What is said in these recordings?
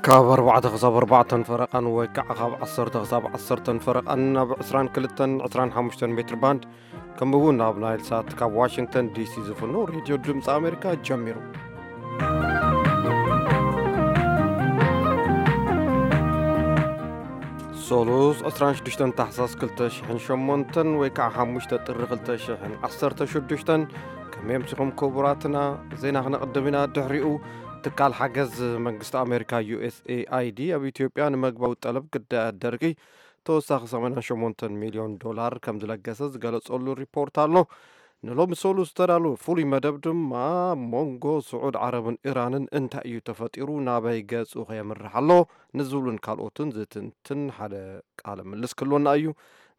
ካብ ኣርባዕተ ክሳብ ኣርባዕተን ፈረቓን ወይ ከዓ ካብ ዓሰርተ ክሳብ ዓሰርተን ፈረቓን ኣብ ዕስራን ክልተን ዕስራን ሓሙሽተን ሜትር ባንድ፣ ከምኡ እውን ኣብ ናይል ሳት ካብ ዋሽንግተን ዲሲ ዝፍኖ ሬድዮ ድምፂ ኣሜሪካ ጀሚሩ። ሶሉስ ዕስራን ሽዱሽተን ታሕሳስ ክልተ ሽሕን ሸሞንተን ወይ ከዓ ሓሙሽተ ጥሪ ክልተ ሽሕን ዓሰርተ ሽዱሽተን። ከመይ ኣምሲኹም ክቡራትና? ዜና ክነቕድም ኢና። ድሕሪኡ ትካል ሓገዝ መንግስቲ ኣሜሪካ ዩ ኤስ ኤ ኣይ ዲ ኣብ ኢትዮጵያ ንምግባዊ ጠለብ ግዳያት ደርቂ ተወሳኺ ሰማንያን ሸሞንተን ሚልዮን ዶላር ከም ዝለገሰ ዝገለጸሉ ሪፖርት ኣሎ። ንሎሚ ሰሉስ ዝተዳለወ ፍሉይ መደብ ድማ ኣብ መንጎ ስዑድ ዓረብን ኢራንን እንታይ እዩ ተፈጢሩ፣ ናበይ ገጹ ከየምርሕ ኣሎ ንዝብሉን ካልኦትን ዝትንትን ሓደ ቃለ ምልስ ክህልወና እዩ።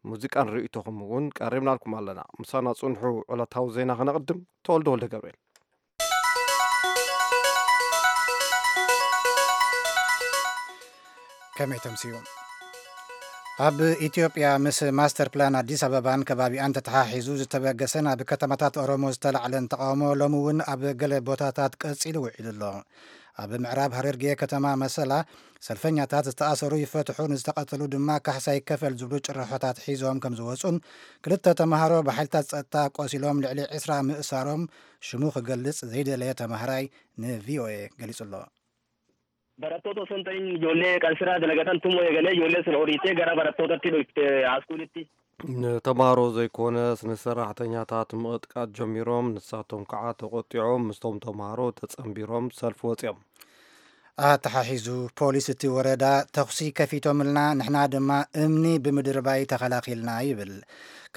ሙዚቃን ርእይቶኹም እውን ቀሪብናልኩም ኣለና። ምሳና ጽንሑ። ዕለታዊ ዜና ከነቕድም። ተወልደ ወልደ ገብርኤል። ከመይ ተምስዩ? ኣብ ኢትዮጵያ ምስ ማስተር ፕላን ኣዲስ ኣበባን ከባቢኣን ተተሓሒዙ ዝተበገሰን ኣብ ከተማታት ኦሮሞ ዝተላዕለን ተቃውሞ ሎሚ እውን ኣብ ገለ ቦታታት ቀጺሉ ውዒሉ ኣሎ። ኣብ ምዕራብ ሃረርጌ ከተማ መሰላ ሰልፈኛታት ዝተኣሰሩ ይፈትሑ፣ ንዝተቐተሉ ድማ ካሕሳ ይከፈል ዝብሉ ጭርሖታት ሒዞም ከም ዝወጹን ክልተ ተምሃሮ ብሓይልታት ጸጥታ ቆሲሎም ልዕሊ ዕስራ ምእሳሮም ሽሙ ክገልጽ ዘይደለየ ተምሃራይ ን ቪ ኦ ኤ ገሊጹ ኣሎ። Barattoota osoo hin ta'in ijoollee kan siraa dalagatan tumoo eegalee ijoollee sun horiitee gara barattootatti dhufte haaskuulitti. ንተምሃሮ ዘይኮነስ ንሰራሕተኛታት ምቕጥቃጥ ጀሚሮም፣ ንሳቶም ከዓ ተቆጢዖም ምስቶም ተምሃሮ ተጸንቢሮም ሰልፊ ወፂኦም። ኣተሓሒዙ ፖሊስ እቲ ወረዳ ተኹሲ ከፊቶምልና፣ ንሕና ድማ እምኒ ብምድርባይ ተኸላኺልና ይብል።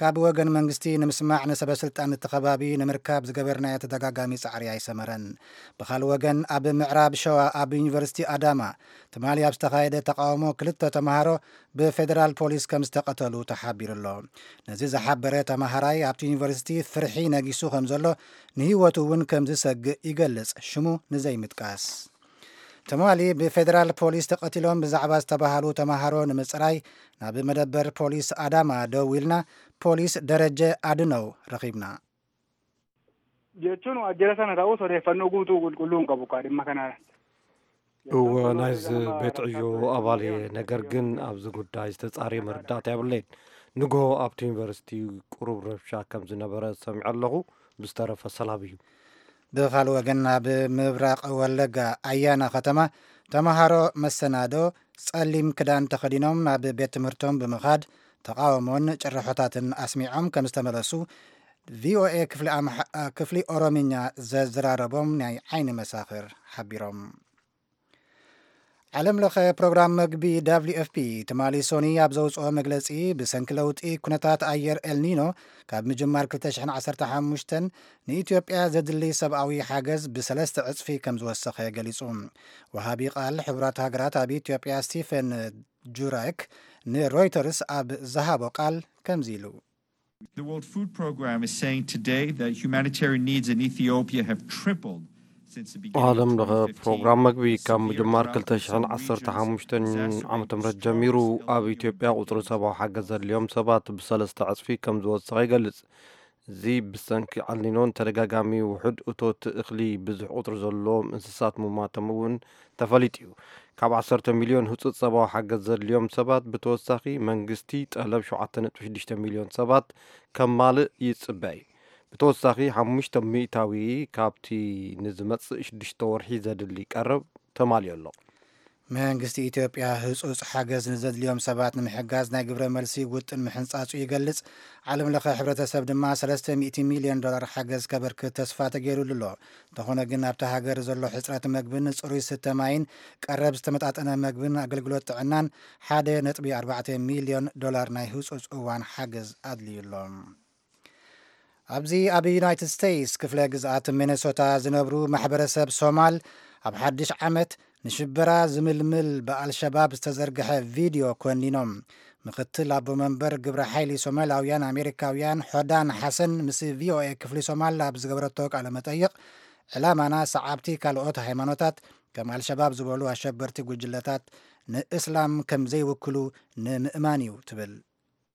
ካብ ወገን መንግስቲ ንምስማዕ ንሰበ ስልጣን እቲ ከባቢ ንምርካብ ዝገበርናዮ ተደጋጋሚ ጻዕሪ ኣይሰመረን። ብኻልእ ወገን ኣብ ምዕራብ ሸዋ ኣብ ዩኒቨርሲቲ ኣዳማ ትማሊ ኣብ ዝተኻየደ ተቃውሞ ክልተ ተምሃሮ ብፌደራል ፖሊስ ከም ዝተቐተሉ ተሓቢሩ ኣሎ። ነዚ ዝሓበረ ተምሃራይ ኣብቲ ዩኒቨርሲቲ ፍርሒ ነጊሱ ከም ዘሎ ንህይወቱ እውን ከም ዝሰግእ ይገልጽ ሽሙ ንዘይምጥቃስ። ትማሊ ብፌደራል ፖሊስ ተቐቲሎም ብዛዕባ ዝተባሃሉ ተምሃሮ ንምጽራይ ናብ መደበር ፖሊስ ኣዳማ ደዊልና ፖሊስ ደረጀ ኣድነው ረኺብና። Jechuun waajjira sana ta'us odeeffannoo guutuu qulqulluu hin qabu kaa dhimma kanaa. እወ፣ ናይዚ ቤት ዕዮ ኣባል እየ፣ ነገር ግን ኣብዚ ጉዳይ ዝተጻረየ መረዳእታ የብለይን። ንግሆ ኣብቲ ዩኒቨርሲቲ ቁሩብ ረብሻ ከም ዝነበረ ሰሚዐ ኣለኹ፣ ብዝተረፈ ሰላም እዩ። ብኻልእ ወገን ኣብ ምብራቕ ወለጋ ኣያና ከተማ ተምሃሮ መሰናዶ ጸሊም ክዳን ተኸዲኖም ናብ ቤት ትምህርቶም ብምኻድ ተቓውሞን ጭርሖታትን ኣስሚዖም ከም ዝተመለሱ ቪኦኤ ክፍሊ ኣምሓ- ክፍሊ ኦሮምኛ ዘዘራረቦም ናይ ዓይኒ መሳኽር ሓቢሮም። ዓለም ለኸ ፕሮግራም መግቢ ደብሊው ኤፍ ፒ ትማሊ ሶኒ ኣብ ዘውፅኦ መግለፂ ብሰንኪ ለውጢ ኩነታት ኣየር ኤልኒኖ ካብ ምጅማር ክልተ ሽሕን ዓሰርተ ሓሙሽተን ንኢትዮጵያ ዘድሊ ሰብኣዊ ሓገዝ ብሰለስተ ዕፅፊ ከም ዝወሰኸ ገሊፁ። ወሃቢ ቃል ሕቡራት ሃገራት ኣብ ኢትዮጵያ ስቲፈን ጁራይክ ንሮይተርስ ኣብ ዝሃቦ ቃል ከምዚ ኢሉ። The World Food Programme is saying today that humanitarian needs in Ethiopia have tripled since the beginning of ዓለም ለኸ ፕሮግራም መግቢ ካብ ምጅማር ክልተ ሽሕን ዓሰርተ ሓሙሽተን ዓመተ ምህረት ጀሚሩ ኣብ ኢትዮጵያ ቁፅሪ ሰብኣዊ ሓገዝ ዘድልዮም ሰባት ብሰለስተ ዕፅፊ ከም ዝወሰኸ ይገልፅ። እዚ ብሰንኪ ኣልኒኖን ተደጋጋሚ ውሑድ እቶት እኽሊ ብዙሕ ቁፅሪ ዘለዎም እንስሳት ምማቶም እውን ተፈሊጡ እዩ። ካብ ዓሰርተ ሚልዮን ህፁፅ ሰብኣዊ ሓገዝ ዘድልዮም ሰባት ብተወሳኺ መንግስቲ ጠለብ ሸውዓተ ነጥቢ ሽዱሽተ ሚልዮን ሰባት ከማልእ ይፅበ እዩ። ብተወሳኺ ሓሙሽተ ሚእታዊ ካብቲ ንዝመፅእ ሽዱሽተ ወርሒ ዘድሊ ቀረብ ተማልዩ ኣሎ። መንግስቲ ኢትዮጵያ ህፁፅ ሓገዝ ንዘድልዮም ሰባት ንምሕጋዝ ናይ ግብረ መልሲ ውጥን ምሕንፃፁ ይገልፅ። ዓለም ለኸ ሕብረተሰብ ድማ ሰለስተ ሚእቲ ሚልዮን ዶላር ሓገዝ ከበርክት ተስፋ ተገይሩሉ ኣሎ። እንተኾነ ግን ኣብቲ ሃገር ዘሎ ሕፅረት መግብን ፅሩይ ስተ ማይን ቀረብ ዝተመጣጠነ መግብን ኣገልግሎት ጥዕናን ሓደ ነጥቢ ኣርባዕተ ሚልዮን ዶላር ናይ ህፁፅ እዋን ሓገዝ ኣድልዩ ኣሎ። ኣብዚ ኣብ ዩናይትድ ስቴትስ ክፍለ ግዝኣት ሚነሶታ ዝነብሩ ማሕበረሰብ ሶማል ኣብ ሓድሽ ዓመት ንሽበራ ዝምልምል ብኣልሸባብ ዝተዘርግሐ ቪድዮ ኮኒኖም። ምክትል ኣቦ መንበር ግብረ ሓይሊ ሶማላውያን ኣሜሪካውያን ሖዳን ሓሰን ምስ ቪኦኤ ክፍሊ ሶማል ኣብ ዝገበረቶ ቃለ መጠይቕ ዕላማና ሰዓብቲ ካልኦት ሃይማኖታት ከም ኣልሸባብ ዝበሉ ኣሸበርቲ ጉጅለታት ንእስላም ከም ዘይውክሉ ንምእማን እዩ ትብል።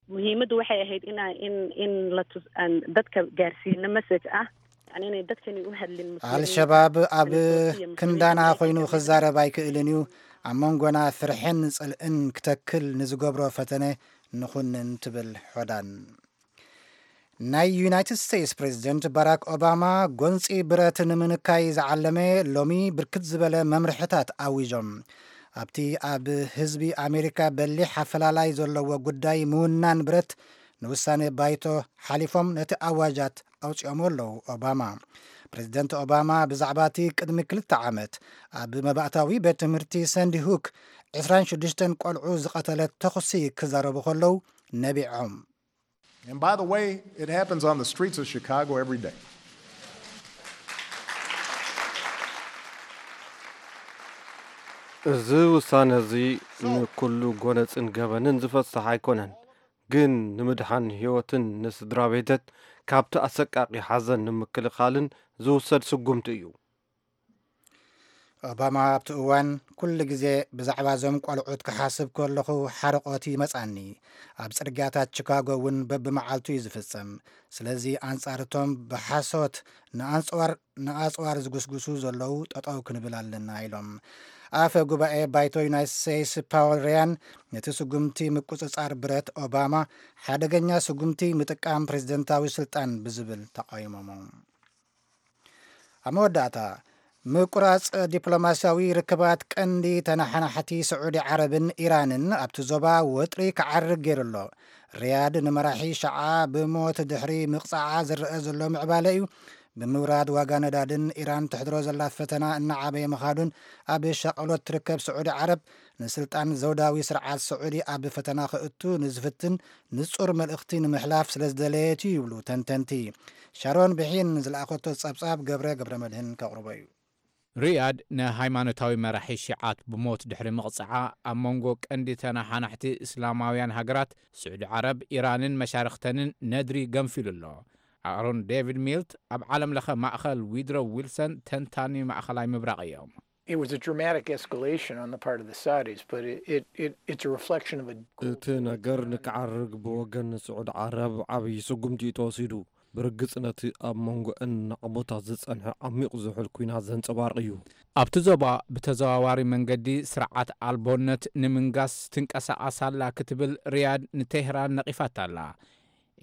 Muhiimaddu waxay ahayd in in in la tus aan dadka gaarsiino message ah yani inay dadkani u hadlin muslimiin. ኣልሸባብ ኣብ ክንዳና ኮይኑ ክዛረብ ኣይክእልን እዩ። ኣብ መንጎና ፍርሕን ጽልእን ክተክል ንዝገብሮ ፈተነ ንኹንን ትብል ሖዳን። ናይ ዩናይትድ ስቴትስ ፕሬዚደንት ባራክ ኦባማ ጎንፂ ብረት ንምንካይ ዝዓለመ ሎሚ ብርክት ዝበለ መምርሕታት ኣዊዞም። ኣብቲ ኣብ ህዝቢ ኣሜሪካ በሊሕ ኣፈላላይ ዘለዎ ጉዳይ ምውናን ብረት ንውሳኔ ባይቶ ሓሊፎም ነቲ ኣዋጃት ኣውፂኦሞ ኣለዉ። ኦባማ ፕሬዚደንት ኦባማ ብዛዕባ እቲ ቅድሚ ክልተ ዓመት ኣብ መባእታዊ ቤት ትምህርቲ ሰንዲ ሁክ ዕስራን ሽዱሽተን ቆልዑ ዝቐተለት ተኹሲ ክዛረቡ ከለዉ ነቢዖም። And by the way, it happens on the streets of Chicago every day. እዚ ውሳነ እዚ ንኩሉ ጎነጽን ገበንን ዝፈስሕ ኣይኮነን፣ ግን ንምድሓን ህይወትን ንስድራ ቤተት ካብቲ ኣሰቃቂ ሓዘን ንምክልኻልን ዝውሰድ ስጉምቲ እዩ። ኦባማ ኣብቲ እዋን ኩሉ ግዜ ብዛዕባ እዞም ቆልዑት ክሓስብ ከለኹ ሓርቆት ይመጻኒ። ኣብ ጽርግያታት ቺካጎ እውን በብመዓልቱ እዩ ዝፍጸም። ስለዚ ኣንጻር እቶም ብሓሶት ንኣጽዋር ንኣጽዋር ዝጉስጉሱ ዘለዉ ጠጠው ክንብል ኣለና ኢሎም። ኣፈ ጉባኤ ባይቶ ዩናይትድ ስቴትስ ፓወል ሪያን ነቲ ስጉምቲ ምቁጽጻር ብረት ኦባማ ሓደገኛ ስጉምቲ ምጥቃም ፕሬዝደንታዊ ስልጣን ብዝብል ተቃይሞሞ። ኣብ መወዳእታ ምቁራጽ ዲፕሎማስያዊ ርክባት ቀንዲ ተነሓናሕቲ ስዑዲ ዓረብን ኢራንን ኣብቲ ዞባ ወጥሪ ክዓርግ ገይሩ ኣሎ። ሪያድ ንመራሒ ሸዓ ብሞት ድሕሪ ምቕጻዓ ዝረአ ዘሎ ምዕባለ እዩ። ብምውራድ ዋጋ ነዳድን ኢራን ትሕድሮ ዘላ ፈተና እናዓበየ ምኻዱን ኣብ ሻቕሎት ትርከብ ስዑዲ ዓረብ ንስልጣን ዘውዳዊ ስርዓት ስዑዲ ኣብ ፈተና ክእቱ ንዝፍትን ንጹር መልእኽቲ ንምሕላፍ ስለ ዝደለየት እዩ ይብሉ ተንተንቲ። ሻሮን ብሒን ዝለኣኸቶ ጸብጻብ ገብረ ገብረ መድህን ከቕርቦ እዩ። ሪያድ ንሃይማኖታዊ መራሒ ሺዓት ብሞት ድሕሪ ምቕጽዓ ኣብ መንጎ ቀንዲ ተናሓናሕቲ እስላማውያን ሃገራት ስዑዲ ዓረብ፣ ኢራንን መሻርኽተንን ነድሪ ገንፊሉ ኣሎ። ኣሮን ዴቪድ ሚልት ኣብ ዓለም ለኸ ማእኸል ዊድሮ ዊልሰን ተንታኒ ማእኸላይ ምብራቕ እዮም። It was a dramatic escalation on the part of the Saudis, but it, it, it, it's a reflection of a እቲ ነገር ንክዓርግ ብወገን ስዑዲ ዓረብ ዓብዪ ስጉምቲ እዩ ተወሲዱ። ብርግጽ ነቲ ኣብ መንጎአን ናቕቦታት ዝጸንሐ ዓሚቕ ዝሑል ኲናት ዘንጸባርቕ እዩ። ኣብቲ ዞባ ብተዘዋዋሪ መንገዲ ስርዓት ኣልቦነት ንምንጋስ ትንቀሳቐስ ኣላ ክትብል ሪያድ ንቴህራን ነቒፋታ ኣላ።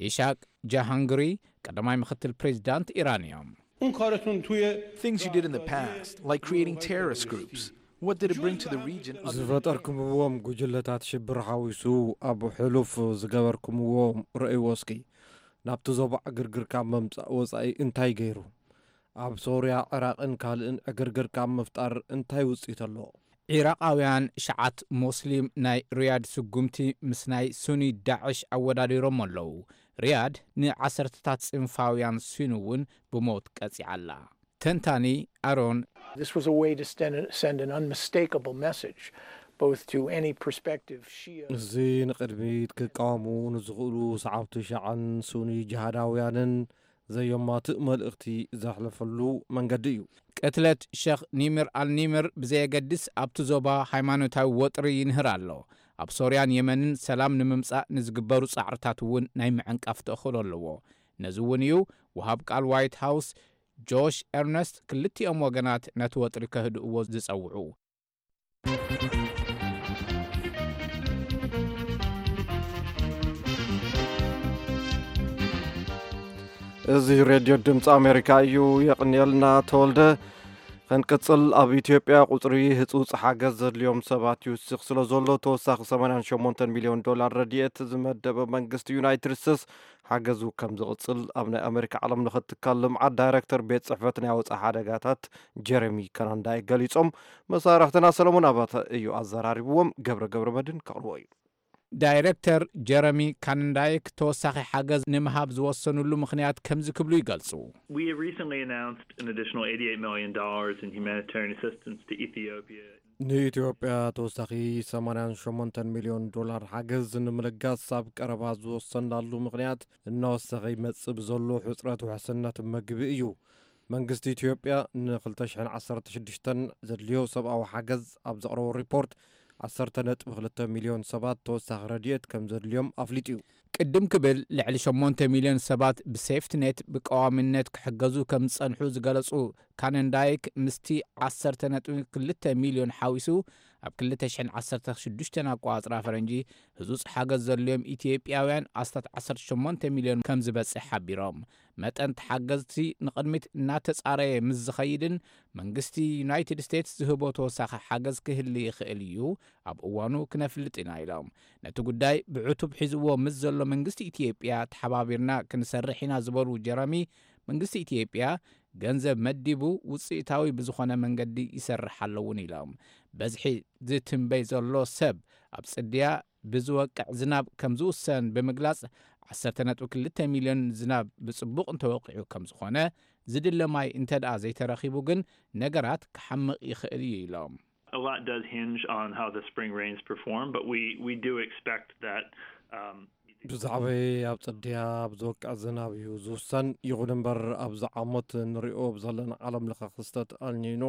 ኢሻቅ ጃሃንግሪ ቀዳማይ ምክትል ፕሬዚዳንት ኢራን እዮም። Things you did in the past, like creating terrorist groups, what did it bring to the region? ዝፈጠርኩምዎም ጉጅለታት ሽብር ሓዊሱ ኣብ ሕሉፍ ዝገበርኩምዎም ረእይዎ እስኪ። ናብቲ ዞባ ዕግርግር ካብ መምጻእ ወጻኢ እንታይ ገይሩ? ኣብ ሶርያ፣ ዕራቕን ካልእን ዕግርግር ካብ ምፍጣር እንታይ ውጽኢት ኣለዎ? ዒራቓውያን ሸዓት ሞስሊም ናይ ሪያድ ስጉምቲ ምስ ናይ ሱኒ ዳዕሽ ኣወዳዲሮም ኣለዉ። ሪያድ ንዓሰርተታት ጽንፋውያን ሱኒ እውን ብሞት ቀጺዓ ኣላ። ተንታኒ ኣሮን This was a way to send, send an unmistakable message, both to any prospective Shia. እዚ ንቕድሚት ክቃወሙ ንዝኽእሉ ሰዓብቲ ሸዓን ሱኒ ጅሃዳውያንን ዘየማትእ መልእኽቲ ዘሕለፈሉ መንገዲ እዩ። ቅትለት ሸኽ ኒምር ኣልኒምር ብዘየገድስ ኣብቲ ዞባ ሃይማኖታዊ ወጥሪ ይንህር ኣሎ። ኣብ ሶርያን የመንን ሰላም ንምምጻእ ንዝግበሩ ጻዕርታት እውን ናይ ምዕንቃፍ ተኽእሎ ኣለዎ። ነዚ እውን እዩ ወሃብ ቃል ዋይት ሃውስ ጆሽ ኤርነስት ክልቲኦም ወገናት ነቲ ወጥሪ ከህድእዎ ዝጸውዑ። እዚ ሬድዮ ድምፂ ኣሜሪካ እዩ። የቕንየልና ተወልደ። ክንቅፅል፣ ኣብ ኢትዮጵያ ቁፅሪ ህፁፅ ሓገዝ ዘድልዮም ሰባት ይውስኽ ስለ ዘሎ ተወሳኺ ሰማንያን ሸሞንተን ሚሊዮን ዶላር ረድኤት ዝመደበ መንግስቲ ዩናይትድ ስቴትስ ሓገዙ ከም ዝቕፅል ኣብ ናይ ኣሜሪካ ዓለም ለኸ ትካል ልምዓት ዳይሬክተር ቤት ፅሕፈት ናይ ወፃኢ ሓደጋታት ጀረሚ ከናንዳይ ገሊፆም። መሳርሕትና ሰለሞን ኣባተ እዩ ኣዘራሪብዎም። ገብረ ገብረ መድን ከቕርቦ እዩ። ዳይሬክተር ጀረሚ ካንዳይክ ተወሳኺ ሓገዝ ንምሃብ ዝወሰኑሉ ምኽንያት ከምዚ ክብሉ ይገልጹ። We have recently announced an additional eighty-eight million dollars in humanitarian assistance to Ethiopia. ንኢትዮጵያ ተወሳኺ ሰማንያን ሸሞንተን ሚልዮን ዶላር ሓገዝ ንምልጋስ ኣብ ቀረባ ዝወሰናሉ ምኽንያት እናወሰኸ ይመጽእ ብዘሎ ሕጽረት ውሕስነት መግቢ እዩ። መንግስቲ ኢትዮጵያ ን ክልተ ሽሕን ዓሰርተ ሽዱሽተን ዘድልዮ ሰብኣዊ ሓገዝ ኣብ ዘቕረቦ ሪፖርት ዓሰርተ ነጥቢ ክልተ ሚልዮን ሰባት ተወሳኺ ረድኤት ከም ዘድልዮም ኣፍሊጡ እዩ። ቅድም ክብል ልዕሊ ሸሞንተ ሚልዮን ሰባት ብሴፍትኔት ብቀዋምነት ክሕገዙ ከም ዝጸንሑ ዝገለጹ ካነንዳይክ ምስቲ ዓሰርተ ነጥቢ ክልተ ሚልዮን ሓዊሱ ኣብ ክልተ ሽሕን ዓሰርተ ሽዱሽተን ኣቋጽራ ፈረንጂ ህጹጽ ሓገዝ ዘድልዮም ኢትዮጵያውያን ኣስታት ዓሰርተ ሸሞንተ ሚልዮን ከም ዝበጽሕ ሓቢሮም። መጠን ተሓገዝቲ ንቕድሚት እናተጻረየ ምስ ዝኸይድን መንግስቲ ዩናይትድ ስቴትስ ዝህቦ ተወሳኺ ሓገዝ ክህሊ ይኽእል እዩ። ኣብ እዋኑ ክነፍልጥ ኢና ኢሎም። ነቲ ጉዳይ ብዕቱብ ሒዝዎ ምስ ዘሎ መንግስቲ ኢትዮጵያ ተሓባቢርና ክንሰርሕ ኢና ዝበሉ ጀረሚ፣ መንግስቲ ኢትዮጵያ ገንዘብ መዲቡ ውፅኢታዊ ብዝኾነ መንገዲ ይሰርሕ ኣለውን ኢሎም። በዝሒ ዝትንበይ ዘሎ ሰብ ኣብ ፅድያ ብዝወቅዕ ዝናብ ከም ዝውሰን ብምግላፅ ዓሰርተ ነጥቢ ክልተ ሚልዮን ዝናብ ብፅቡቕ እንተወቂዑ ከም ዝኾነ፣ ዝድለ ማይ እንተ ደኣ ዘይተረኺቡ ግን ነገራት ክሓምቕ ይኽእል እዩ ኢሎም። A lot does hinge on how the spring rains perform, but we, we do expect that. Um, ብዛዕባ ኣብ ጽድያ ኣብ ዝወቅዕ ዝናብ እዩ ዝውሰን። ይኹን እምበር፣ ኣብዚ ዓመት ንሪኦ ኣብ ዘለና ዓለም ለኸ ክስተት ኣልኒኖ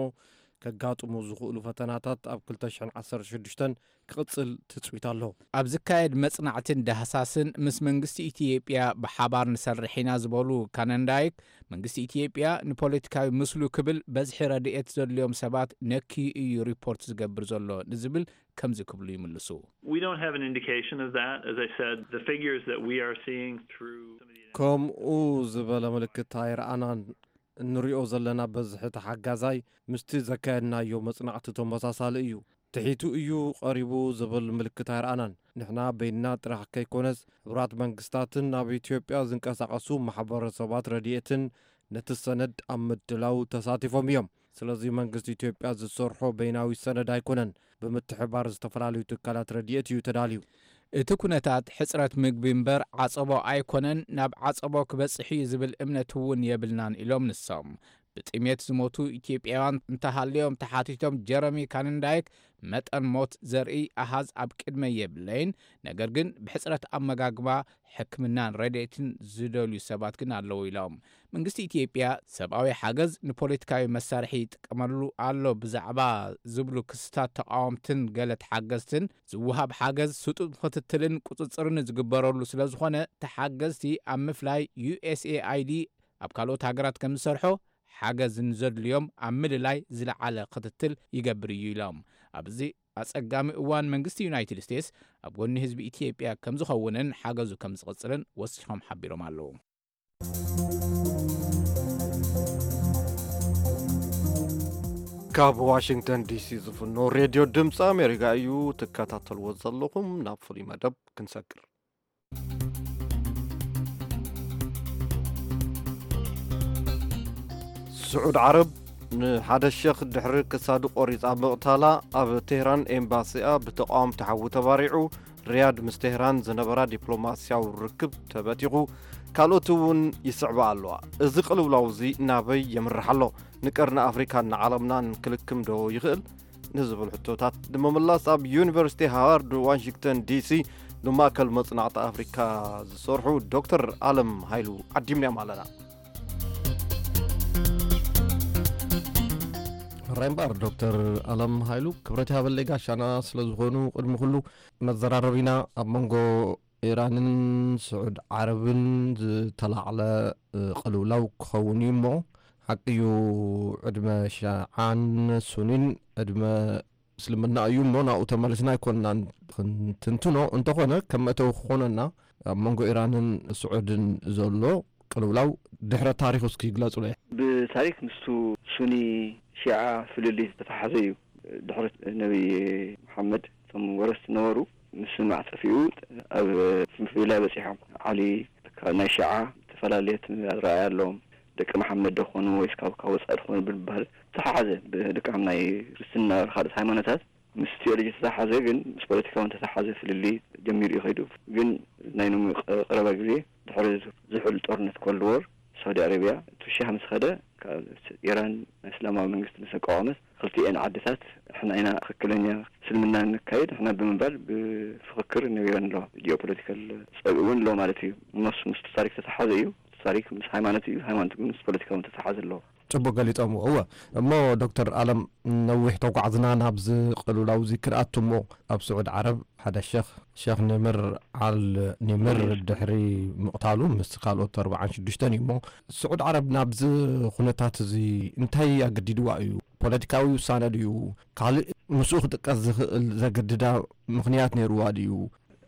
ከጋጥሙ ዝኽእሉ ፈተናታት ኣብ ክልተ ሽሕን ዓሰርተ ሽዱሽተን ክቕጽል ትጽቢት ኣሎ። ኣብ ዝካየድ መጽናዕትን ዳህሳስን ምስ መንግስቲ ኢትዮጵያ ብሓባር ንሰርሕ ኢና ዝበሉ ካነንዳይክ፣ መንግስቲ ኢትዮጵያ ንፖለቲካዊ ምስሉ ክብል በዝሒ ረድኤት ዘድልዮም ሰባት ነክዩ እዩ ሪፖርት ዝገብር ዘሎ ንዝብል ከምዚ ክብሉ ይምልሱ። We don't have an indication of that. As I said, the figures that we are seeing through some of the ከምኡ ዝበለ ምልክት ኣይረኣናን። እንሪኦ ዘለና በዝሒ ተሓጋዛይ ምስቲ ዘካየድናዮ መጽናዕቲ ተመሳሳሊ እዩ። ትሒቱ እዩ ቀሪቡ ዝብል ምልክት ኣይረኣናን። ንሕና በይንና ጥራሕ ከይኮነስ፣ ሕቡራት መንግስታትን ኣብ ኢትዮጵያ ዝንቀሳቐሱ ማሕበረሰባት ረድኤትን ነቲ ሰነድ ኣብ ምድላው ተሳቲፎም እዮም። ስለዚ መንግስቲ ኢትዮጵያ ዝሰርሖ በይናዊ ሰነድ ኣይኮነን፣ ብምትሕባር ዝተፈላለዩ ትካላት ረድኤት እዩ ተዳልዩ። እቲ ኩነታት ሕጽረት ምግቢ እምበር ዓጸቦ ኣይኮነን፣ ናብ ዓጸቦ ክበጽሕ እዩ ዝብል እምነት እውን የብልናን ኢሎም ንሶም። ብጥሜት ዝሞቱ ኢትዮጵያውያን እንተሃልዮም ተሓቲቶም ጀረሚ ካንንዳይክ፣ መጠን ሞት ዘርኢ ኣሃዝ ኣብ ቅድመይ የብለይን፣ ነገር ግን ብሕጽረት ኣመጋግባ፣ ሕክምናን ረድኤትን ዝደልዩ ሰባት ግን ኣለዉ ኢሎም። መንግስቲ ኢትዮጵያ ሰብኣዊ ሓገዝ ንፖለቲካዊ መሳርሒ ይጥቀመሉ ኣሎ ብዛዕባ ዝብሉ ክስታት ተቃወምትን ገለ ተሓገዝትን ዝወሃብ ሓገዝ ስጡም ክትትልን ቁጽጽርን ዝግበረሉ ስለ ዝኾነ ተሓገዝቲ ኣብ ምፍላይ ዩ ኤስ ኤ ኣይ ዲ ኣብ ካልኦት ሃገራት ከም ዝሰርሖ ሓገዝ ንዘድልዮም ኣብ ምልላይ ዝለዓለ ክትትል ይገብር እዩ ኢሎም። ኣብዚ ኣጸጋሚ እዋን መንግስቲ ዩናይትድ ስቴትስ ኣብ ጎኒ ህዝቢ ኢትዮጵያ ከም ዝኸውንን ሓገዙ ከም ዝቕጽልን ወሲኾም ሓቢሮም ኣለዉ። ካብ ዋሽንግተን ዲሲ ዝፍኖ ሬድዮ ድምፂ ኣሜሪካ እዩ ትከታተልዎ ዘለኹም። ናብ ፍሉይ መደብ ክንሰግር። ስዑድ ዓረብ ንሓደ ሸኽ ድሕሪ ክሳዱ ቆሪጻ ምቕታላ ኣብ ቴህራን ኤምባሲኣ ብተቃወምቲ ሓዊ ተባሪዑ። ሪያድ ምስ ቴህራን ዝነበራ ዲፕሎማስያዊ ርክብ ተበቲኹ። ካልኦት እውን ይስዕባ ኣለዋ። እዚ ቅልውላው እዚ ናበይ የምርሕ ኣሎ? ንቀርኒ ኣፍሪካን ንዓለምናን ክልክም ዶ ይኽእል? ንዝብል ሕቶታት ንምምላስ ኣብ ዩኒቨርሲቲ ሃዋርድ ዋሽንግተን ዲሲ ንማእከል መጽናዕቲ ኣፍሪካ ዝሰርሑ ዶክተር ኣለም ሃይሉ ዓዲምናዮም ኣለና። ሕራይ እምበኣር ዶክተር ኣለም ሃይሉ ክብረት ይሃበለይ ጋሻና ስለ ዝኾኑ ቅድሚ ኩሉ መዘራረቢና ኣብ መንጎ ኢራንን ስዑድ ዓረብን ዝተላዕለ ቅልውላው ክኸውን እዩ እሞ ሓቂ እዩ። ዕድመ ሸዓን ሱኒን ዕድመ እስልምና እዩ እሞ ናብኡ ተመሊስና ኣይኮንናን ክንትንትኖ። እንተኾነ ከም መእተዊ ክኾነና ኣብ መንጎ ኢራንን ስዑድን ዘሎ ቅልውላው ድሕረ ታሪኹ እስኪ ይግለጹለይ። ብታሪክ ምስቱ ሱኒ ሺዓ ፍልልይ ዝተተሓዘ እዩ። ድሕሪ ነቢ መሓመድ እቶም ወረስቲ ነበሩ። ምስማዕ ጠፊኡ ኣብ ፍልልይ በፂሖም። ዓሊ ካብ ናይ ሺዓ ዝተፈላለየ ኣረኣእያ ኣለዎም። ደቂ መሓመድ ዶ ክኾኑ ወይስ ካብ ካብ ወፃኢ ድኾኑ ብምባል ተሓሓዘ። ብልክዖም ናይ ክርስትና ካልኦት ሃይማኖታት ምስ ቴዎሎጂ ተተሓዘ ግን ምስ ፖለቲካ እውን ተተሓዘ ፍልልይ ጀሚሩ እዩ ከይዱ። ግን ናይ ሎሚ ቀረባ ግዜ ድሕሪ ዝሑል ጦርነት ኮልድ ዎር ሳውዲ ኣረቢያ እቲ ሻህ ምስ ኸደ ካብ ኢራን ናይ እስላማዊ መንግስቲ ምስ ኣቋቋመት ክልቲኤን ዓድታት ንሕና ኢና ትኽክለኛ እስልምና ነካይድ ንሕና ብምባል ብፍኽክር ነቢረን ኣለዋ። ጂኦፖለቲካል ፀግዒ እውን ኣሎ ማለት እዩ። እነሱ ምስ ታሪክ ተተሓዘ እዩ። ታሪክ ምስ ሃይማኖት እዩ፣ ሃይማኖት ግን ምስ ፖለቲካ እውን ተተሓዘ ኣለዎ። ጽቡቅ ገሊጾምዎ። እወ፣ እሞ ዶክተር ኣለም፣ ነዊሕ ተጓዕዝና ናብዚ ቅልውላው እዚ ክንኣቱ እሞ፣ ኣብ ስዑድ ዓረብ ሓደ ሸኽ፣ ሸኽ ንምር ዓል ንምር ድሕሪ ምቕታሉ ምስ ካልኦት ኣርባዓን ሽዱሽተን እዩ እሞ፣ ስዑድ ዓረብ ናብዚ ኩነታት እዚ እንታይ ኣገዲድዋ እዩ? ፖለቲካዊ ውሳነ ድዩ? ካልእ ምስኡ ክጥቀስ ዝኽእል ዘገድዳ ምኽንያት ነይርዋ ድዩ?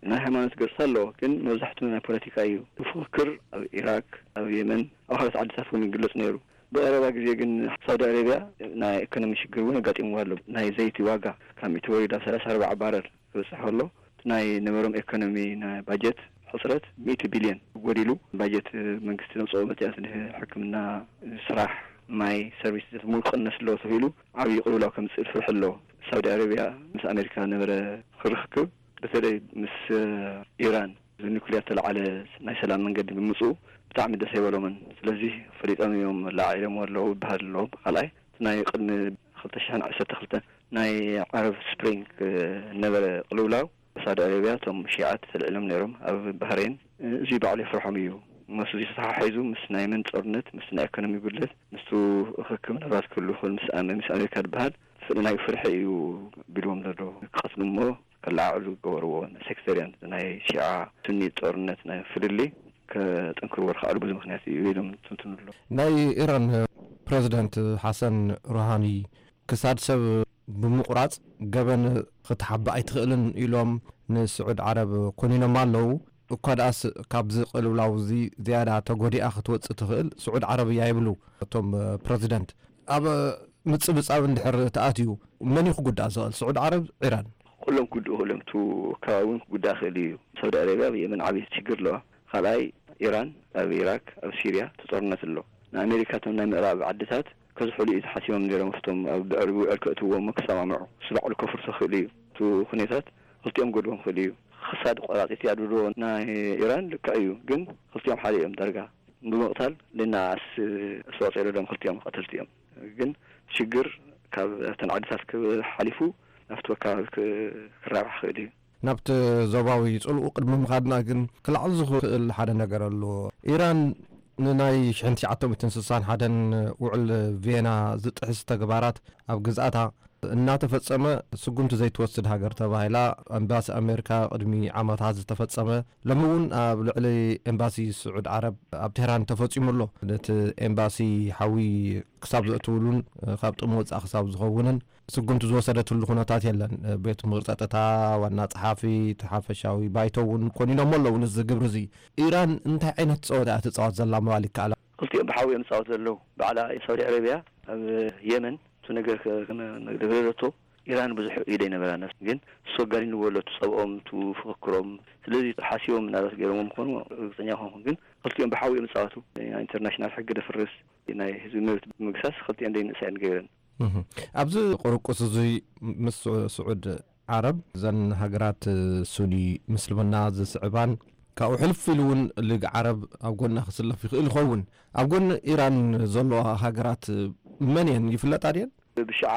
ናይ ሃይማኖት ገጽታ ኣለዎ፣ ግን መብዛሕትኡ ናይ ፖለቲካ እዩ። ፍክክር ኣብ ኢራክ፣ ኣብ የመን፣ ኣብ ካልኦት ዓድታት እውን ይግለጽ ነይሩ። ብቐረባ ግዜ ግን ሳውዲ ኣረብያ ናይ ኢኮኖሚ ሽግር እውን ኣጋጢምዋ ኣሎ። ናይ ዘይቲ ዋጋ ካብ ሚእቲ ወሪዱ ኣብ ሰላሳ ኣርባዓ ባረል ክበጽሕ ከሎ፣ እቲ ናይ ነበሮም ኢኮኖሚ ናይ ባጀት ሕጽረት ሚእቲ ቢልዮን ጎዲሉ፣ ባጀት መንግስቲ ዘውጽኦ መጽያት ንሕክምና፣ ስራሕ፣ ማይ፣ ሰርቪስ ሙሉ ክቕነስ ኣለዎ ተባሂሉ ዓብዪ ቅልውላው ከምጽእ ፍርሒ ኣለዎ። ሳውዲ ኣረብያ ምስ ኣሜሪካ ነበረ ክርክብ፣ በተለይ ምስ ኢራን ብኒኩሊየር ተለዓለ ናይ ሰላም መንገዲ ብምምፅኡ ብጣዕሚ ደስ ኣይበሎምን። ስለዚ ፈሊጦም እዮም ላዒሎምዎ ኣለዉ ይበሃል ኣለዉ። ካልኣይ እቲ ናይ ቅድሚ ክልተ ሽሕን ዓሰርተ ክልተን ናይ ዓረብ ስፕሪንግ ነበረ ቅልውላው ሳውዲ ኣረብያ እቶም ሺዓት ተልዒሎም ነይሮም ኣብ ባህሬን። እዚ ባዕሉ የፍርሖም እዩ። ምስ እዚ ተተሓሒዙ ምስ ናይ የመን ጦርነት፣ ምስ ናይ ኢኮኖሚ ጉድለት፣ ምስቱ ርክክብ ምናልባት ክህሉ ይኽእል ምስ ኣመ-፣ ምስ ኣሜሪካ ዝበሃል ፍልናይ ፍርሒ እዩ ቢልዎም ዘሎ። ክቐትሉ እሞ ከለዓዕሉ ዝገበርዎ ሴክተርያን ናይ ሺዓ ሱኒ ጦርነት ናይ ፍልልይ ከጠንክርዎ ዝኸኣሉ ብዙ ምኽንያት እዩ ኢሎም ትንትኑ ኣሎ። ናይ ኢራን ፕረዚደንት ሓሰን ሩሃኒ ክሳድ ሰብ ብምቑራጽ ገበን ክትሓብእ ኣይትኽእልን ኢሎም ንስዑድ ዓረብ ኮኒኖም ኣለዉ። እኳ ደኣስ ካብዚ ቅልውላው እዚ ዝያዳ ተጎዲኣ ክትወጽእ ትኽእል ስዑድ ዓረብ እያ ይብሉ እቶም ፕረዚደንት። ኣብ ምጽብጻብ እንድሕር ተኣትዩ መን እዩ ክጉዳእ ዝኽእል? ስዑድ ዓረብ፣ ኢራን? ኩሎም ክጉድኡ ክእሎም፣ እቲ ከባቢ እውን ክጉዳእ ክእል እዩ። ሳውዲ ኣረብያ ኣብ የመን ዓብዪ ሽግር ኣለዋ። ካልኣይ ኢራን ኣብ ኢራክ ኣብ ሲርያ እቲ ጦርነት ኣሎ። ንኣሜሪካ እቶም ናይ ምዕራብ ዓድታት ከዝሕሉ እዩ ተሓሲቦም ነይሮም። ኣብቶም ኣብ ድዕሪ ውዕል ከእትዎም ክሰማምዑ እሱ ባዕሉ ከፍርሶ ክእል እዩ። እቲ ኩነታት ክልቲኦም ገድቦም ክእል እዩ። ክሳድ ቆራፂት ያድብድዎ ናይ ኢራን ልክዕ እዩ፣ ግን ክልቲኦም ሓደ እዮም ዳርጋ። ብምቕታል ሌናስ ኣስተዋፅኦ የለሎም። ክልቲኦም ቀተልቲ እዮም። ግን ሽግር ካብ ኣብተን ዓድታት ክሓሊፉ ናብቲ ከባቢ ክራባሕ ክእል እዩ። ናብቲ ዞባዊ ጽልኡ ቅድሚ ምኻድና ግን ክለዓል ዝኽእል ሓደ ነገር ኣሎ። ኢራን ንናይ ሽሕን ትሽዓተ ሚእትን ስሳን ሓደን ውዕል ቬና ዝጥሕስ ተግባራት ኣብ ግዝኣታ እናተፈጸመ ስጉምቲ ዘይትወስድ ሃገር ተባሂላ ኣምባሲ ኣሜሪካ ቅድሚ ዓመታት ዝተፈጸመ፣ ሎሚ እውን ኣብ ልዕሊ ኤምባሲ ስዑድ ዓረብ ኣብ ቴህራን ተፈጺሙ ኣሎ። ነቲ ኤምባሲ ሓዊ ክሳብ ዘእትውሉን ካብ ጥቕሚ ወጻኢ ክሳብ ዝኸውንን ስጉምቲ ዝወሰደትሉ ኩነታት የለን። ቤት ምኽሪ ጸጥታ፣ ዋና ጸሓፊ፣ እቲ ሓፈሻዊ ባይቶ እውን ኮኒኖሞ ኣለዉ። ንዚ ግብሪ እዚ ኢራን እንታይ ዓይነት ጸወታ እያ ትጻወት ዘላ ምባል ይከኣል? ክልቲኦም ብሓዊ እዮም ዝጻወቱ ዘለዉ። ባዕላ ሳውዲ ዓረብያ ኣብ የመን እቲ ነገር ከ-፣ ከመ-፣ መግለለቶ ኢራን ብዙሕ ኢደ ይነበራ ነፍስ ግን እሱ ኣጋኒንዎ ኣሎ እቲ ጸብኦም፣ እቲ ፍክክሮም። ስለዚ ሓሲቦም ምናልባት ገይሮም ምኾኑ ርግጸኛ ኮንኩ፣ ግን ክልቲኦም ብሓዊ እዮም ዝጻወቱ። ናይ ኢንተርናሽናል ሕጊ ደፍርስ፣ ናይ ህዝቢ መብት ብምግሳስ ክልቲኦም ደይ ንእሳየን ገይረን። እህ። ኣብዚ ቁርቁስ እዚ ምስ ስዑድ ዓረብ፣ እዘን ሃገራት ሱኒ ምስልምና ዝስዕባን፣ ካብኡ ሕልፍ ኢሉ እውን ሊግ ዓረብ ኣብ ጎና ክስለፍ ይኽእል ይኸውን። ኣብ ጎኒ ኢራን ዘለዋ ሃገራት መን እየን? ይፍለጣ ድየን? ብሽዓ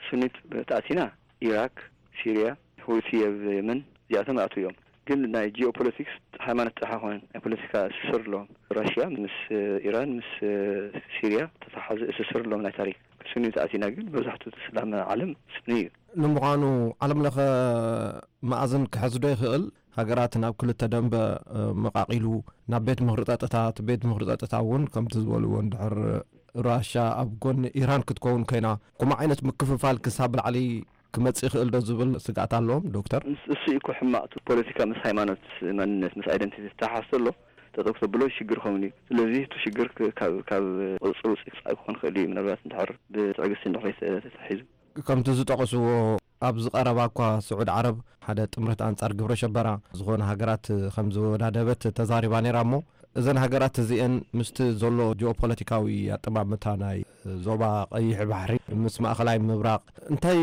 ሱኒት ተኣቲና፣ ኢራክ፣ ሲርያ፣ ሁቲ ኣብ የመን፣ እዚኣቶም ይኣትዉ እዮም። ግን ናይ ጂኦፖለቲክስ ሃይማኖት ጥራሕ ኣይኮነን፣ ናይ ፖለቲካ እስስር ኣለዎም። ራሽያ ምስ ኢራን፣ ምስ ሲርያ ተተሓዘ እስስር ኣለዎም ናይ ታሪክ። ሱኒ ተኣቲና ግን መብዛሕትኡ እቲ እስላም ዓለም ሱኒ እዩ። ንምዃኑ ዓለም ለኸ መኣዝን ክሕዝ ዶ ይኽእል? ሃገራት ናብ ክልተ ደንበ፣ እ፣ መቓቒሉ ናብ ቤት ምኽሪ ጸጥታ፣ እቲ ቤት ምኽሪ ጸጥታ እውን ከምቲ ዝበልዎ እንድሕር ራሻ ኣብ ጎኒ ኢራን ክትከውን ኮይና፣ ከምኡ ዓይነት ምክፍፋል ክሳብ ላዕሊ ክመጽእ ይኽእል ዶ ዝብል ስግኣት ኣለዎም ዶክተር? እስ-፣ እሱ እዩ እኮ ሕማቕ። እቲ ፖለቲካ ምስ ሃይማኖት፣ መንነት፣ ምስ ኣይደንቲቲ ዝተሓሓዝ ዘሎ ጠጠው ክተብሎ ሽግር ክኸውን እዩ። ስለዚ እቲ ሽግር ክ-፣ ካብ፣ ካብ ቁጽጽር ውጽእ ክጻኢ ክኾን ክእል እዩ። ምናልባት እንድሕር ብትዕግስቲ እንድሕር ተታሒዙ። ከምቲ ዝጠቐስዎ ኣብዚ ቀረባ እኳ ስዑድ ዓረብ ሓደ ጥምረት ኣንጻር ግብረ ሸበራ ዝኾነ ሃገራት ከም ዝወዳደበት ተዛሪባ ነይራ እሞ እዘን ሃገራት እዚአን ምስቲ ዘሎ ጂኦፖለቲካዊ ኣጠማምታ ናይ ዞባ ቀይሕ ባሕሪ ምስ ማእኸላይ ምብራቕ እንታይ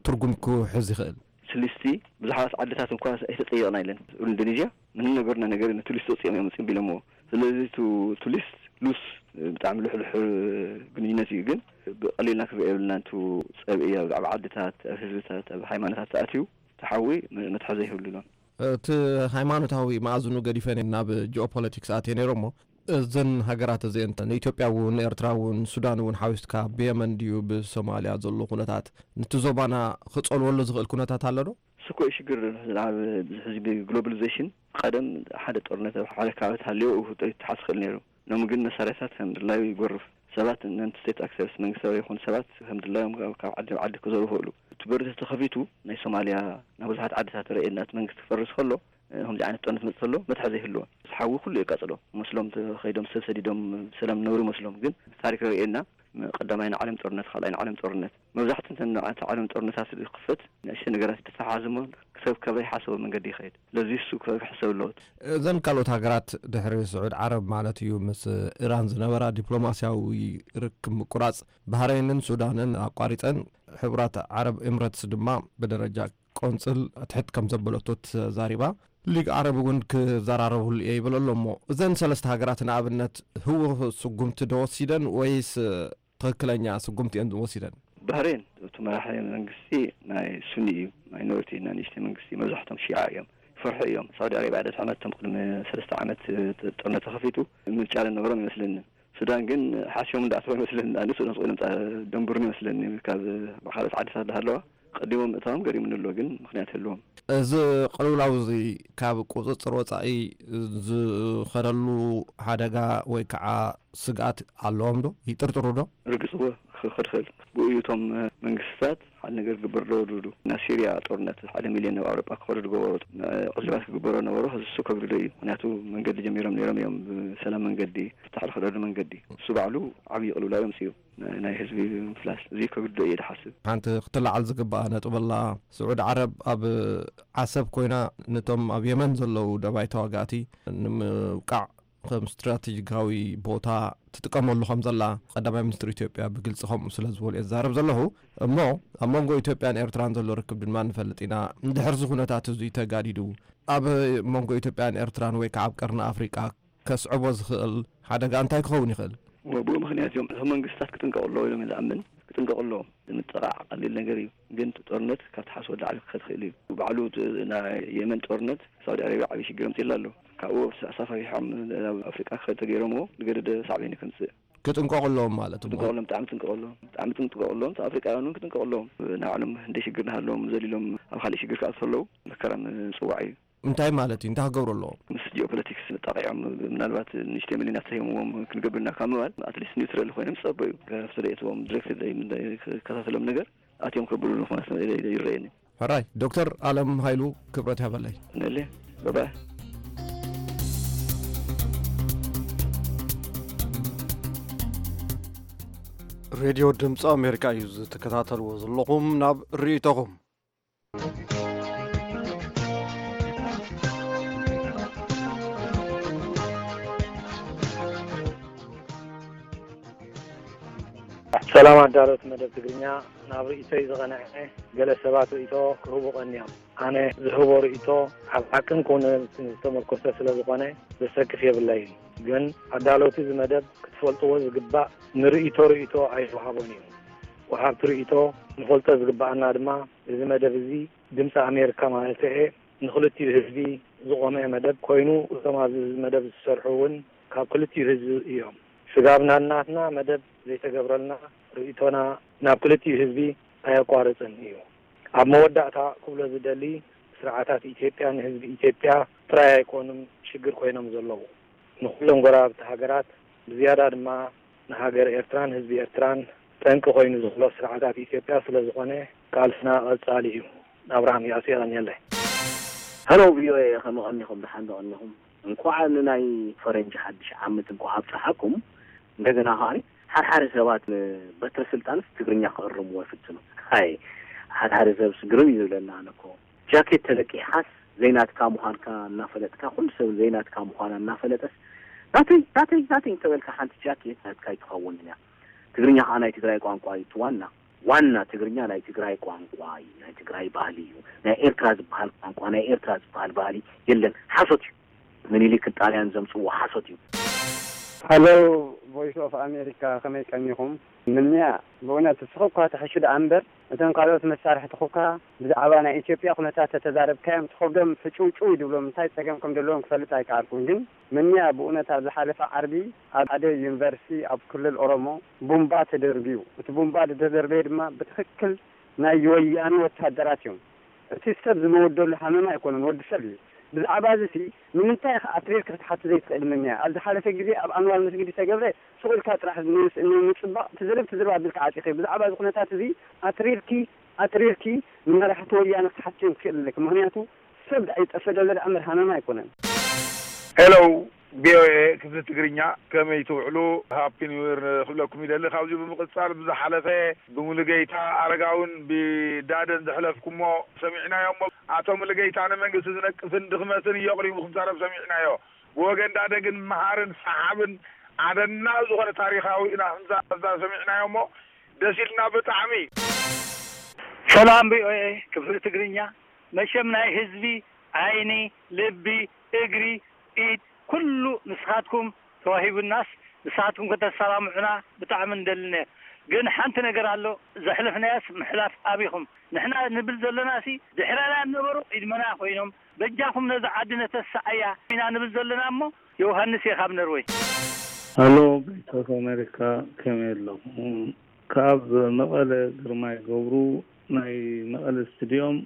ትርጉም ክሕዝ ይኽእል? ስልስቲ ብዙሓት ዓድታት እንኳ ኣይተጠየቕና ኢለን። ኢንዶኔዥያ ምንም ነገርና ነገር ነቲ ሊስት ወፂኦም እዮም ፅምቢሎምዎ። ስለዚ ቱ-፣ ቱ ሊስት ሉስ ብጣዕሚ ልሕልሕ ግንኙነት እዩ፣ ግን ብቐሊልና ክንሪኦ የብልና። ንቱ ፀብኢ ኣብ፣ ኣብ ዓድታት፣ ኣብ ህዝብታት፣ ኣብ ሃይማኖታት ተኣትዩ ተሓዊ መ-፣ መትሓዚ ይህብሉን። እቲ ሃይማኖታዊ መኣዝኑ ገዲፈ ናብ ጂኦፖለቲክስ ኣትየ ነይረ እሞ እዘን ሃገራት እዚአን ንኢትዮጵያ እውን ንኤርትራ እውን ሱዳን እውን ሓዊስካ ብየመን ድዩ ብሶማልያ ዘሎ ኩነታት ነቲ ዞባና ክጸልወሉ ዝኽእል ኩነታት ኣሎ ዶ? እሱ እኮ እዩ ሽግር። ናብ ብዙሕ ህዝቢ ግሎባሊዜሽን ቀደም ሓደ ጦርነት ኣብ ሓደ ከባቢ ተሃልዮ እዩ ተሓስ ክእል ነይሩ። ኖም ግን መሳርያታት ከም ድላዩ ይጎርፍ። ሰባት ነን ስቴት ኣክተርስ መንግስታዊ ይኹን ሰባት ከም ድላዮም ካብ ዓዲ ናብ ዓዲ ክዘሩ ይኽእሉ። እቲ በሩ ተተኸፊቱ ናይ ሶማልያ ናብ ብዙሓት ዓድታት ረእየና እቲ መንግስቲ ክፈርስ ከሎ ከምዚ ዓይነት ጦርነት መጽእ ከሎ መትሓዚ ይህልዎ። ሓዊ ኩሉ የቃጽሎ። መስሎም ከይዶም ሰብ ሰዲዶም ብሰላም ነብሩ መስሎም ግን ታሪክ ረእየና ቀዳማይ ንዓለም ጦርነት ካልኣይ ንዓለም ጦርነት መብዛሕቱ እንተ ንዓት ዓለም ጦርነታት ዝኽፈት ንእሽተ ነገራት ተተሓዝሞ ክሰብ ከበይ ሓሰቦ መንገዲ ይኸይድ። ስለዚ እሱ ክሕሰብ ኣለዎት። እዘን ካልኦት ሃገራት ድሕሪ ስዑድ ዓረብ ማለት እዩ ምስ ኢራን ዝነበራ ዲፕሎማስያዊ ርክብ ምቁራጽ ባህረይንን ሱዳንን ኣቋሪጸን ሕቡራት ዓረብ ኤምረትስ ድማ ብደረጃ ቆንጽል ትሕት ከም ዘበለቶ ተዛሪባ። ሊግ ዓረብ እውን ክዘራረብሉ እየ ይብል ኣሎ እሞ እዘን ሰለስተ ሃገራት ንኣብነት ህወ ስጉምቲ ዶ ወሲደን ወይስ ትኽክለኛ ስጉምቲ እየን ወሲደን? ባህሬን እቲ መራሒ መንግስቲ ናይ ሱኒ እዩ፣ ማይኖሪቲ ናይ ንእሽተይ መንግስቲ መብዛሕቶም ሺዓ እዮም። ይፈርሑ እዮም። ሳውዲ ኣረቢያ ደድሕሪ መቶም ቅድሚ ሰለስተ ዓመት ጥርነ ተኸፊቱ ምርጫ ዝነበሮም ይመስለኒ። ሱዳን ግን ሓስዮም እንዳኣተው ይመስለኒ። ኣነ ሱዳን ስቆይ ንምፃ ደንብሩን ይመስለኒ ካብ ብካልኦት ዓድታት ዝሃለዋ ቀዲሞም ምእታዎም ገሪሙኒ ኣሎ ግን ምክንያት ህልዎም። እዚ ቅልውላው እዚ ካብ ቁፅፅር ወፃኢ ዝኸደሉ ሓደጋ ወይ ከዓ ስግኣት ኣለዎም ዶ? ይጥርጥሩ ዶ? ርግፅዎ ክኸድኽእል ብኡ እዩ እቶም መንግስታት ሓደ ነገር ግበር ዶ ድዱ ናብ ሲርያ ጦርነት ሓደ ሚልዮን ናብ ኣውሮጳ ክኸዱ ዝገበሩ ዕልባት ክግበሮ ነበሩ። እዚ እሱ ከብድዶ እዩ። ምክንያቱ መንገዲ ጀሚሮም ነይሮም እዮም። ብሰላም መንገዲ ፍታሕ ዝኸደሉ መንገዲ እሱ ባዕሉ ዓብዪ ቅልውላው እዮም ስዩ ናይ ህዝቢ ምፍላስ እዚ ከብድዶ እየ ዝሓስብ። ሓንቲ ክትለዓል ዝግባኣ ነጥብ ኣላ። ስዑድ ዓረብ ኣብ ዓሰብ ኮይና ነቶም ኣብ የመን ዘለዉ ደባይ ተዋጋእቲ ንምውቃዕ ከም ስትራቴጂካዊ ቦታ ትጥቀመሉ ከም ዘላ ቀዳማይ ሚኒስትር ኢትዮጵያ ብግልፂ ከምኡ ስለ ዝበሉ እየ ዝዛረብ ዘለኹ። እሞ ኣብ መንጎ ኢትዮጵያን ኤርትራን ዘሎ ርክብ ድማ ንፈልጥ ኢና። እንድሕር እዚ ኩነታት እዚ ተጋዲዱ ኣብ መንጎ ኢትዮጵያን ኤርትራን ወይ ከዓ ኣብ ቀርኒ ኣፍሪቃ ከስዕቦ ዝኽእል ሓደጋ እንታይ ክኸውን ይኽእል? ብኡ ምኽንያት እዮም እቶም መንግስታት ክጥንቀቑ ኣለዎ ኢሎም ዝኣምን ክጥንቀቑ ኣለዎም። ምጥቓዕ ቀሊል ነገር እዩ፣ ግን እቲ ጦርነት ካብ ተሓስቦ ላዕሊ ክኸድ ክእል እዩ። ባዕሉ እቲ ናይ የመን ጦርነት ሳውዲ ኣረቢያ ዓብዪ ሽግር ኣምፂላ ኣሎ። ካብኡ ኣሳፋፊሖም ናብ ኣፍሪቃ ክኸድ ተገይሮምዎ ዝገደደ ሳዕቤን እዩ ከምፅእ። ክጥንቀቑ ኣለዎም ማለት እዩ። ክጥንቀቑ ኣለዎም፣ ብጣዕሚ ጥንቀቑ ኣለዎም፣ ብጣዕሚ ጥንቀቑ ኣለዎም። እቲ ኣፍሪቃውያን እውን ክጥንቀቑ ኣለዎም። ናይ ባዕሎም እንደ ሽግር እናሃለዎም ዘሊሎም ኣብ ካልእ ሽግር ክኣቱ ከለዉ መከራ ምፅዋዕ እዩ። እንታይ ማለት እዩ? እንታይ ክገብሩ ኣለዎም? ምስ ጂኦፖለቲክስ ጣቂዖም ምናልባት ንእሽተይ ሚሊዮናት ተሂምዎም ክንገብር ኢና ካብ ምባል ኣትሊስት ኒውትራል ኮይኖም ዝፀበዩ ካብቲ ርእየትዎም ዲሬክት ክከታተሎም ነገር ኣትዮም ከብሉ ንኾነ ይረየኒ። ሕራይ ዶክተር ኣለም ሃይሉ ክብረት ያበለይ። ነለ ባባይ። ሬድዮ ድምፂ ኣሜሪካ እዩ ዝትከታተልዎ ዘለኹም። ናብ ርእይቶኹም። ሰላም ኣዳለውቲ መደብ ትግርኛ፣ ናብ ርእይቶይ ዝቐንዐ ገለ ሰባት ርእይቶ ክህቡ ቀንዮም። ኣነ ዝህቦ ርእይቶ ኣብ ሓቅን ኩነትን ዝተመርኮሰ ስለ ዝኾነ ዘሰክፍ የብለይን። ግን ኣዳለውቲ እዚ መደብ ክትፈልጥዎ ዝግባእ ንርእይቶ ርእይቶ ኣይወሃቦን እዩ። ወሃብቲ ርእይቶ ንፈልጦ ዝግባኣና ድማ እዚ መደብ እዚ ድምፂ ኣሜሪካ ማለት እየ ንክልቲኡ ህዝቢ ዝቆመ መደብ ኮይኑ እቶም ኣብዚ መደብ ዝሰርሑ እውን ካብ ክልቲኡ ህዝቢ እዮም። ስጋብ ናናትና መደብ ዘይተገብረልና ርእይቶና ናብ ክልቲኡ ህዝቢ ኣየቋርፅን እዩ። ኣብ መወዳእታ ክብሎ ዝደሊ ስርዓታት ኢትዮጵያ ንህዝቢ ኢትዮጵያ ጥራይ ኣይኮኑን ሽግር ኮይኖም ዘለዉ። ንኩሎም ጎረባብቲ ሃገራት ብዝያዳ ድማ ንሃገር ኤርትራን ህዝቢ ኤርትራን ጠንቂ ኮይኑ ዘሎ ስርዓታት ኢትዮጵያ ስለ ዝኾነ ቃልስና ቀጻሊ እዩ። ኣብርሃም ያሱ የቐንየለይ። ሄሎ ቪኦኤ፣ ከመይ ቀኒኹም? ደሓን ዶ ቀኒኹም? እንኳዕ ንናይ ፈረንጂ ሓድሽ ዓመት እንኳዕ ኣብፀሓኩም። እንደገና ከኣ ሓድሓደ ሰባት ንበትረ ስልጣንስ ትግርኛ ክእርምዎ ይፍትኑ። ኣይ ሓድሓደ ሰብስ ግርም እዩ ዝብለና። ኣነ እኮ ጃኬት ተለቂሕካስ ዘይናትካ ምዃንካ እናፈለጥካ፣ ኩሉ ሰብ ዘይናትካ ምዃና እናፈለጠስ ናተይ ናተይ ናተይ እንተበልካ ሓንቲ ጃኬት ናትካ ኣይትኸውንን እያ። ትግርኛ ከዓ ናይ ትግራይ ቋንቋ እዩ። እቲ ዋና ዋና ትግርኛ ናይ ትግራይ ቋንቋ እዩ፣ ናይ ትግራይ ባህሊ እዩ። ናይ ኤርትራ ዝበሃል ቋንቋ፣ ናይ ኤርትራ ዝበሃል ባህሊ የለን። ሓሶት እዩ። ምኒልክን ጣልያን ዘምፅዎ ሓሶት እዩ። ሃሎ፣ ቮይስ ኦፍ ኣሜሪካ፣ ከመይ ቀኒኹም? ምንያ፣ ብእውነት እስኹ እኳ ትሕሹ ደኣ እምበር፣ እቶም ካልኦት መሳርሕትኹ እኳ ብዛዕባ ናይ ኢትዮጵያ ኩነታት ተተዛረብካዮም ትኸብዶም፣ ሕጭውጭው እዩ ድብሎም፣ እንታይ ጸገም ከም ዘለዎም ክፈልጥ ኣይከኣልኩን። ግን ምንያ፣ ብእውነት ኣብ ዝሓለፈ ዓርቢ ኣብ ሓደ ዩኒቨርሲቲ ኣብ ክልል ኦሮሞ ቡምባ ተደርብዩ። እቲ ቡምባ ዝተደርበየ ድማ ብትኽክል ናይ ወያነ ወታደራት እዮም። እቲ ሰብ ዝመወደሉ ሃመማ ኣይኮነን፣ ወዲ ሰብ እዩ። ብዛዕባ እዚ ሲ ንምንታይ ኢኻ ኣትሪርካ ክትሓቶ ዘይትኽእል? ምንያ፣ ኣብ ዝሓለፈ ግዜ ኣብ ኣንዋር መስጊድ ዝተገብረ ሱቕ ኢልካ ጥራሕ ን-፣ ንምጽባቕ ትዝርብ ትዝርብ ኣቢልካ ዓጺኺ። ብዛዕባ እዚ ኩነታት እዚ ኣትሪርኪ ኣትሪርኪ ንመራሕቲ ወያነ ክትሓትዮም ትኽእል ኣለኪ። ምኽንያቱ ሰብ ደኣ ይጠፈ ዘሎ ደኣ እምበር ሃመማ ኣይኮነን። ሄሎ፣ ቪኦኤ ክፍሊ ትግርኛ፣ ከመይ ትውዕሉ? ሃፒ ኒው ይር ክብለኩም ይደሊ። ካብዚ ብምቕጻል ብዝሓለፈ ብሙሉጌታ ኣረጋውን ብዳደን ዘሕለፍኩሞ ሰሚዕናዮ እሞ፣ ኣቶ ሙሉጌታ ንመንግስቲ ዝነቅፍን ድኽመትን እዩ ኣቕሪቡ ክዛረብ ሰሚዕናዮ። ብወገን ዳደ ግን መሃርን ሰሓብን ኣደናቒ ዝኾነ ታሪኻዊ ኢና ክንዛረብ ሰሚዕናዮ እሞ፣ ደስ ኢልና ብጣዕሚ። ሰላም ቪኦኤ ክፍሊ ትግርኛ፣ መሸም ናይ ህዝቢ ዓይኒ፣ ልቢ፣ እግሪ፣ ኢድ ኩሉ ንስኻትኩም ተዋሂቡናስ ንስኻትኩም ከተሰማምዑና ብጣዕሚ ንደሊ ነይር። ግን ሓንቲ ነገር ኣሎ፣ ዘሕለፍናያስ ምሕላፍ ኣቢኹም። ንሕና ንብል ዘለናሲ ድሕረና ዝነበሩ ቅድመና ኮይኖም በጃኹም ነዛ ዓዲ ነተስኣያ ኢና ንብል ዘለና እሞ። ዮውሃንስ እየ ካብ ነርወይ። ሃሎ ቮይስ ኦፍ ኣሜሪካ፣ ከመይ ኣለኹም? ካብ መቐለ ግርማይ ገብሩ ናይ መቐለ ስቱድዮም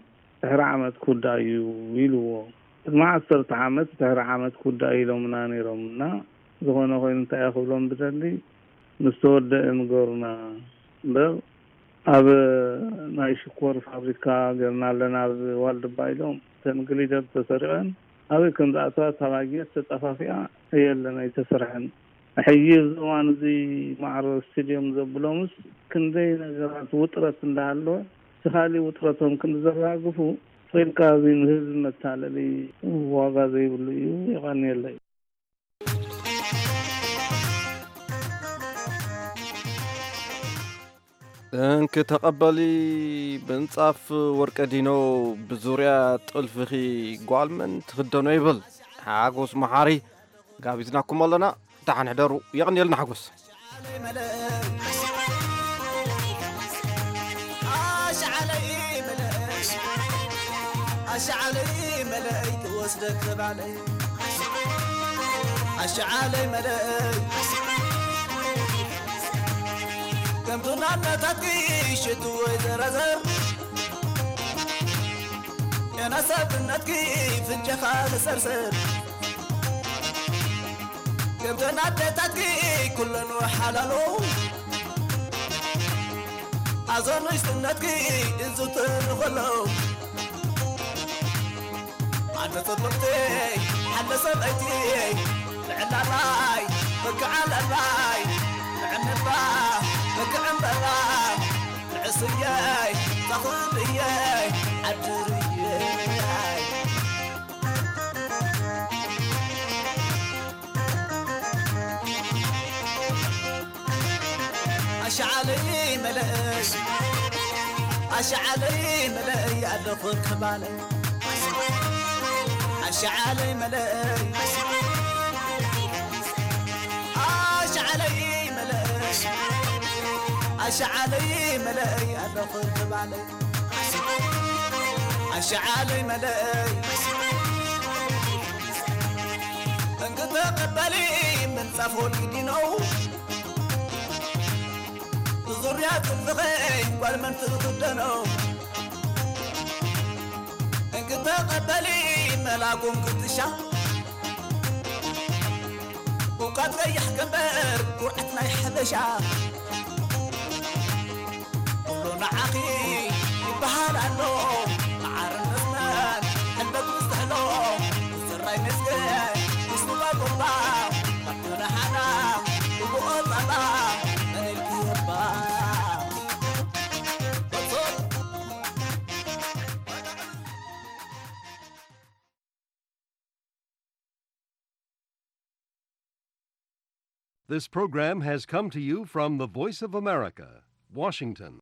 ድሕሪ ዓመት ክውዳእ እዩ ኢልዎ። ቅድሚ ዓሰርተ ዓመት ድሕሪ ዓመት ክውዳእ ኢሎምና ነይሮም እና ዝኾነ ኮይኑ እንታይ እየ ክብሎም ዝደሊ ምስ ተወደአ ንገሩና እምበር ኣብ ናይ ሽኮር ፋብሪካ ገርና ኣለና ኣብ ዋልድባ ኢሎም እተን ግሊደር ተሰሪቐን ኣበይ ከም ዝኣተዋ እታ ባጀት ተጠፋፊኣ የለን ኣይተሰርሐን። ሕጂ ኣብዚ እዋን እዚ ማዕረ ስቴድዮም ዘብሎምስ ክንደይ ነገራት ውጥረት እንዳሃለወ እቲ ካሊእ ውጥረቶም ክንዲ ዘራግፉ ፈይልካ እዚ ንህዝቢ መታለሊ ዋጋ ዘይብሉ እዩ። የቐንየለይ። እንኪ ተቐበሊ ምንጻፍ ወርቀ ዲኖ ብዙርያ ጥልፍኺ ጓል መን ትኽደኖ ይብል ሓጎስ መሓሪ። ጋቢዝናኩም ኣለና። ደሓን ሕደሩ። የቐንየልና ሓጎስ። ኣሽዓለይ መለይ ትወስደክ ባለይ ኣሽዓለይ መለይ ከምቱ ናነታትኪ ሽቱ ወይ ዘረዘር የናሰብነትኪ ፍንጀኻ ልሰርሰር ከምተን ኣደታትኪ ኩለን ሓላሎ ኣዞ ንእሽትነትኪ እንዝትር ከሎ ኣነ ጽብቕቲ ሓለ ሰበይቲ ልዕላላይ በክዓለላይ ንዕንባ በክዕንበባ ንዕስየይ ተኽልየይ ዓድርየይ ኣሽዓለይ መለይ ኣሽዓለይ መለይ ኣለኹ ከባለይ ኣሽዓለይ መለይ ኣሽዓለይ መለይ ኣሽዓለይ መለይ ኣለኹ ከባለይ ኣሽዓለይ መለይ እንክተቐበሊ ምንጻፍ ወልቂ ዲነው ብዙርያ ጽልኺ ጓል መን ትኽደነው እንክተቐበሊ መላኩም ክትሻ ውቃት ቀይሕ ገንበር ኩርዓት ናይ ሓበሻ ኩሉ ንዓኺ ይበሃል ኣሎ መዓርን መስመን ሕልበት ምስትሕሎ ዝራይ መስገን ምስሉባ ጎባ ካብቲ ንሓና ብብኦ ጸባ መን ኢልኪ የባ This program has come to you from the Voice of America, Washington.